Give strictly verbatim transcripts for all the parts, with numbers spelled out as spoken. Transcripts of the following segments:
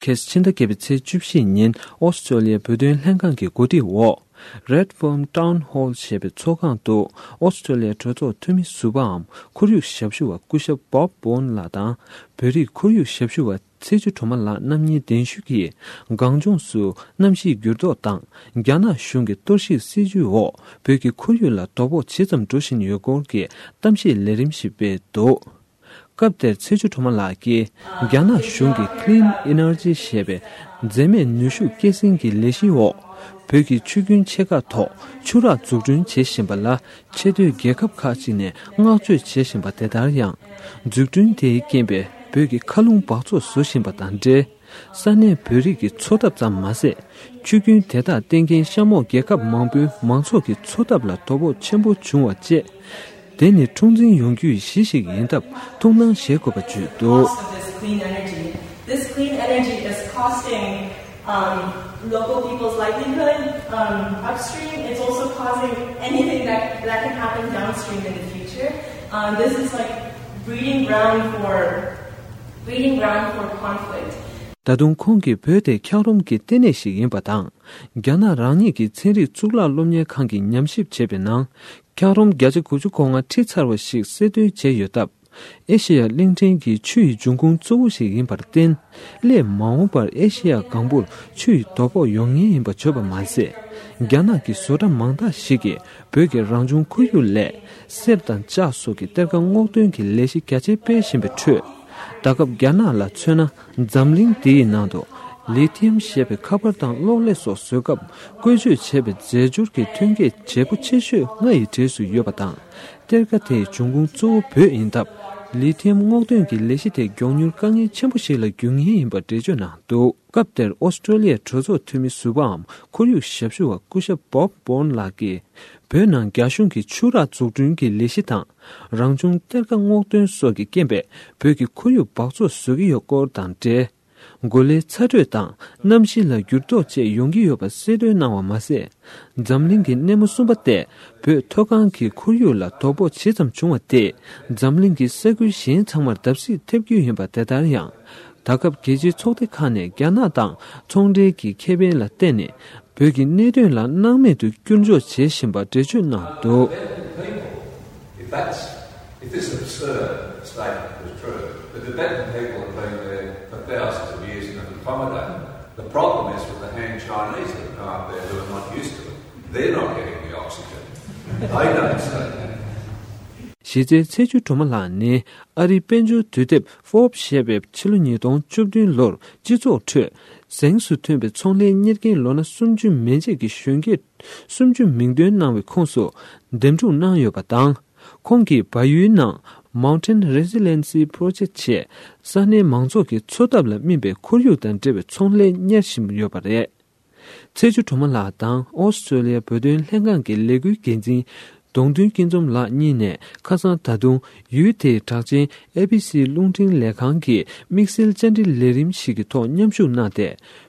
ཁེས་ཕྱི་ཟླ་བརྒྱད་པའི་ཚེས་བཅུ་བཞི་ཉིན་ཨོ་སི་ཀྲོ་ལི་ཡའི་བོད་དོན་ལྷན་ཁང་གི་གོ་སྒྲིག་འོག Redfern Town Hall ཞེས་པའི་ཚོགས་ཁང་དུ་ཨོ་སི་ཀྲོ་ལི་ཡའི་གྲོས་ཚོགས་འཐུས་མི་ཟུར་པའམ་ཁོར་ཡུག་ཞབས་ཞུ་བ་སྐུ་ཞབས་Bob Bowen ལགས་དང་། བོད་རིགས་ཁོར་ཡུག་ཞབས་ཞུ་བ་ཚེ་བཅུ་སྒྲོལ་མ་ལགས་རྣམ་གཉིས་གདན་ཞུས་ཀྱིས་གངས་ལྗོངས་སུ་གནམ་གཤིས་འགྱུར་ལྡོག་དང་རྒྱ་ནག་གཞུང་གི་གཏོར་བཤིག་སྲིད་ཇུས་འོག་བོད་ཀྱི་ཁོར་ཡུག་ལ་དོ་ཕོག་ཇི་ཙམ་འགྲོ་བཞིན་ཡོད་སྐོར་གྱི་གཏམ་བཤད་ལས་རིམ་ཞིག་སྤེལ་འདུག་སྐབས་དེར་ཚེ་བཅུ་སྒྲོལ་མ་ལགས་ཀྱིས་རྒྱ་ནག་གཞུང་གིས་Clean Energy ཞེས་པའི་འཛད་མེད་ནུས་ཤུགས་སྐྱེད་སྲིང་གི་ལས་གཞིའི་འོག་བོད་ཀྱི་ཆུ་རྒྱུན་ཆེ་ཁག་ཐོག་ཆུ་རགས་འཛུགས་སྐྲུན་བྱེད་བཞིན་པ་ལ་ཆེས་མཐོའི་རྒྱལ་ཁབ་ཁག་ཅིག་ནས་བསྔགས་བརྗོད་བྱེད་བཞིན་པ་དེ་ལྟར་ཡང་། འཛུགས་སྐྲུན་དེའི་རྐྱེན་པས་བོད་ཀྱི་མཁའ་རླུང་འབག་བཙོག་བཟོ་བཞིན་པ་དང་འབྲེལ། ས་གནས་བོད་རིགས་ཀྱི་འཚོ་ཐབས་ཙམ་མ་ཟད། ཆུ་རྒྱུན་དེ་དག་བསྟེན་མཁན་གཤམ་འོག་རྒྱལ་ཁབ་མང་པོའི་མང་ཚོགས་ཀྱི་འཚོ་ཐབས་ལ་དོ་ཕོག་ཆེན་པོ་བྱུང་བ་བཅས། དེ་ནི་འཁྲུག་འཛིང་ཡོང་རྒྱུའི་གཞི་ཞིག་ཡིན་སྟབས་ཐུགས་སྣང་བྱེད་དགོས་པ་བརྗོད་འདུག Cost of this clean energy. This clean energy is costing um, local people's livelihood um, upstream. It's also causing anything that, that can happen downstream in the future. Um, this is like breeding ground for breeding ground for conflict. ད་དུང་ཁོང་གིས་བོད་དེ་འཁྱགས་རོམ་གྱི་ལྟེ་གནས་ཤིག་ཡིན་པ་དང་། རྒྱ་ནག་རང་ཉིད་ཀྱི་ཚན་རིག་གཙུག་ལག་སློབ་གཉེར་ཁང་གིས་ཉམས་ཞིབ་བྱས་པའི་ནང་། འཁྱགས་རོམ་བརྒྱ་ཆ་དགུ་བཅུ་གོ་ལྔ་བྲི་ཚར་བ་ཞིག་གསལ་སྟོན་བྱས་ཡོད་སྟབས། ཨེ་ཤེ་ཡ་གླིང་ཕྲན་གྱི་ཆུ་ཡི་འབྱུང་ཁུངས་གཙོ་བོ་ཞིག་ཡིན་པར་བརྟེན། སླད་མ་འོངས་པར་ཨེ་ཤེ་ཡ་སྒང་པུར་ཆུ་ཡི་དོ་ཕོག་ཡོང་ངེས་ཡིན་པ་བརྗོད་པ་མ་ཟད། རྒྱ་ནག་གི་བཟོ་གྲྭ་མང་དག་ཞིག་གིས་བོད་ཀྱི་རང་བྱུང་ཁོར་ཡུག་ལས་གསེར་དང་ལྕགས་སོགས་ཀྱི་གཏེར་ཁ་སྔོག་འདོན་གྱི་ལས་གཞི་རྒྱ་ཆེ་སྤེལ་བཞིན་པའི་ཁྲོད། ད་སྐབས་རྒྱ་ནག་ལ་མཚོན་ན། འཛམ་གླིང་འདིའི་ནང་དུ་ལི་ཐི་ཡམ་ཞེས་པའི་ཁ་པར་དང་གློག་ཀླད་སོགས་བཟོ་སྐབས་བཀོལ་སྤྱོད་བྱས་པའི་རྫས་སྦྱོར་གྱི་ཐོན་སྐྱེད་བྱེད་པོ་ཆེ་ཤོས་ལྔ་ཡི་གྲས་སུ་ཡོད་པ་དང་། གཏེར་ཁ་དེའི་འབྱུང་ཁུངས་གཙོ་བོ་བོད་ཡིན་སྟབས། ལི་ཐི་ཡམ་སྔོག་འདོན་གྱི་ལས་གཞི་དེ་མགྱོགས་མྱུར་དཀའ་ངལ་ཆེན་པོ་ཞིག་ལ་འགྱུར་ངེས་ཡིན་པ་འགྲེལ་བརྗོད་གནང་འདུག་སྐབས་དེར་ཨོ་སི་ཀྲོ་ལི་ཡའི་གྲོས་ཚོགས་འཐུས་མི་ཟུར་པའམ་ཁོར་ཡུག་ཞབས་ཞུ་བ་སྐུ་ཞབས་Bob Bowen ལགས་ཀྱིས། བོད་ནང་རྒྱ་གཞུང་གིས་ཆུ་རགས་འཛུགས་སྐྲུན་གྱི་ལས་གཞི་དང་། རང་བྱུང་གཏེར་ཁ་སྔོག་འདོན་སོགས་ཀྱི་རྐྱེན་པས་བོད་ཀྱི་ཁོར་ཡུག་འབག་བཙོག་བཟོ་གི་ཡོད་སྐོར་དང་འབྲེལ། གོ་ལའི་ཚ་དྲོད་དང་གནམ་གཤིས་ལ་འགྱུར་ལྡོག་བཅས་ཡོང་གི་ཡོད་པ་གསལ་སྟོན་གནང་བ་མ་ཟད། འཛམ་གླིང་གི་སྣེ་མོ་གསུམ་པ་སྟེ། བོད་མཐོ་སྒང་གི་ཁོར་ཡུག་ལ་དོ་ཕོག་ཇི་ཙམ་བྱུང་བ་དེས། འཛམ་གླིང་གི་ས་ཁུལ་གཞན་ཚང་མར་བརྡབ་གསིག་ཐེབས་རྒྱུ་ཡིན་པ་དེ་ལྟར་ཡང་། ད་སྐབས་རྒྱལ་སྤྱིའི་ཚོགས་སྡེ་ཁག་ནས་རྒྱ་ནག་དང་ཚོང་འབྲེལ་གྱི་ཁེ་ཕན་ལ་བརྟེན་ནས་བོད་ཀྱི་གནད་དོན་ལ་སྣང་མེད་དུ་བསྐྱུར་འཇོག་བྱེད་བཞིན་པ་འགྲེལ་བརྗོད་གནང་འདུག If that's, if this absurd statement is true, the Tibetan people have been there for thousands of years and have accommodated. The problem is with the Han Chinese that have come up there who are not used to it. They're not getting the oxygen. They don't say that. གཞི་རྩའི་ཚེ་བཅུ་སྒྲོལ་མ་ལགས་ནི་ཨ་རིའི་དཔལ་འབྱོར་དུས་དེབ་Forbes ཞེས་པའི་ཕྱི་ལོ་ཉིས་སྟོང་བཅུ་བདུན་ལོར་སྤྱི་ཚོགས་ཁྲོད་གཟེངས་སུ་ཐོན་པའི་ཚོང་ལས་གཉེར་མཁན་ལོ་ན་སུམ་ཅུ་མན་ཆད་ཀྱི་གཞོན་སྐྱེས་སུམ་ཅུ་མིང་འདོན་གནང་བའི་ཁོངས་སུ་འདེམས་སྒྲུག་གནང་ཡོད་པ་དང་། ཁོང་གིས་བལ་ཡུལ་ནང་Mountain Resiliency Project ཞེས་ས་གནས་མང་ཚོགས་ཀྱི་འཚོ་ཐབས་ལ་སྨིན་པའི་ཁོར་ཡུག་དང་འབྲེལ་བའི་ཚོང་ལས་གཉེར་བཞིན་ཡོད་པ་རེད། ཚེ་བཅུ་སྒྲོལ་མ་ལགས་དང་ཨོ་སི་ཀྲོ་ལི་ཡའི་བོད་དོན་ལྷན་ཁང་གི་ལས་འགུལ་འགན་འཛིན་གདོང་མདུན་སྐྱིད་འཛོམས་ལགས་གཉིས་ནས་ཁ་སང་ད་དུང་ཡུལ་དེའི་གྲགས་ཅན་ཨེ་བི་སི་རླུང་འཕྲིན་ལས་ཁང་གི་དམིགས་བསལ་བཅར་འདྲི་ལས་རིམ་ཞིག་གི་ཐོག་མཉམ་ཞུགས་གནང་སྟེ།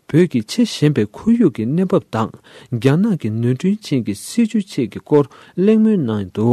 བོད་ཀྱི་ཆེས་ཞན་པའི་ཁོར་ཡུག་གི་གནས་བབ་དང་། རྒྱ་ནག་གི་ནོར་འཁྲུལ་ཅན་གྱི་སྲིད་ཇུས་བཅས་ཀྱི་སྐོར་གླེང་མོལ་གནང་འདུག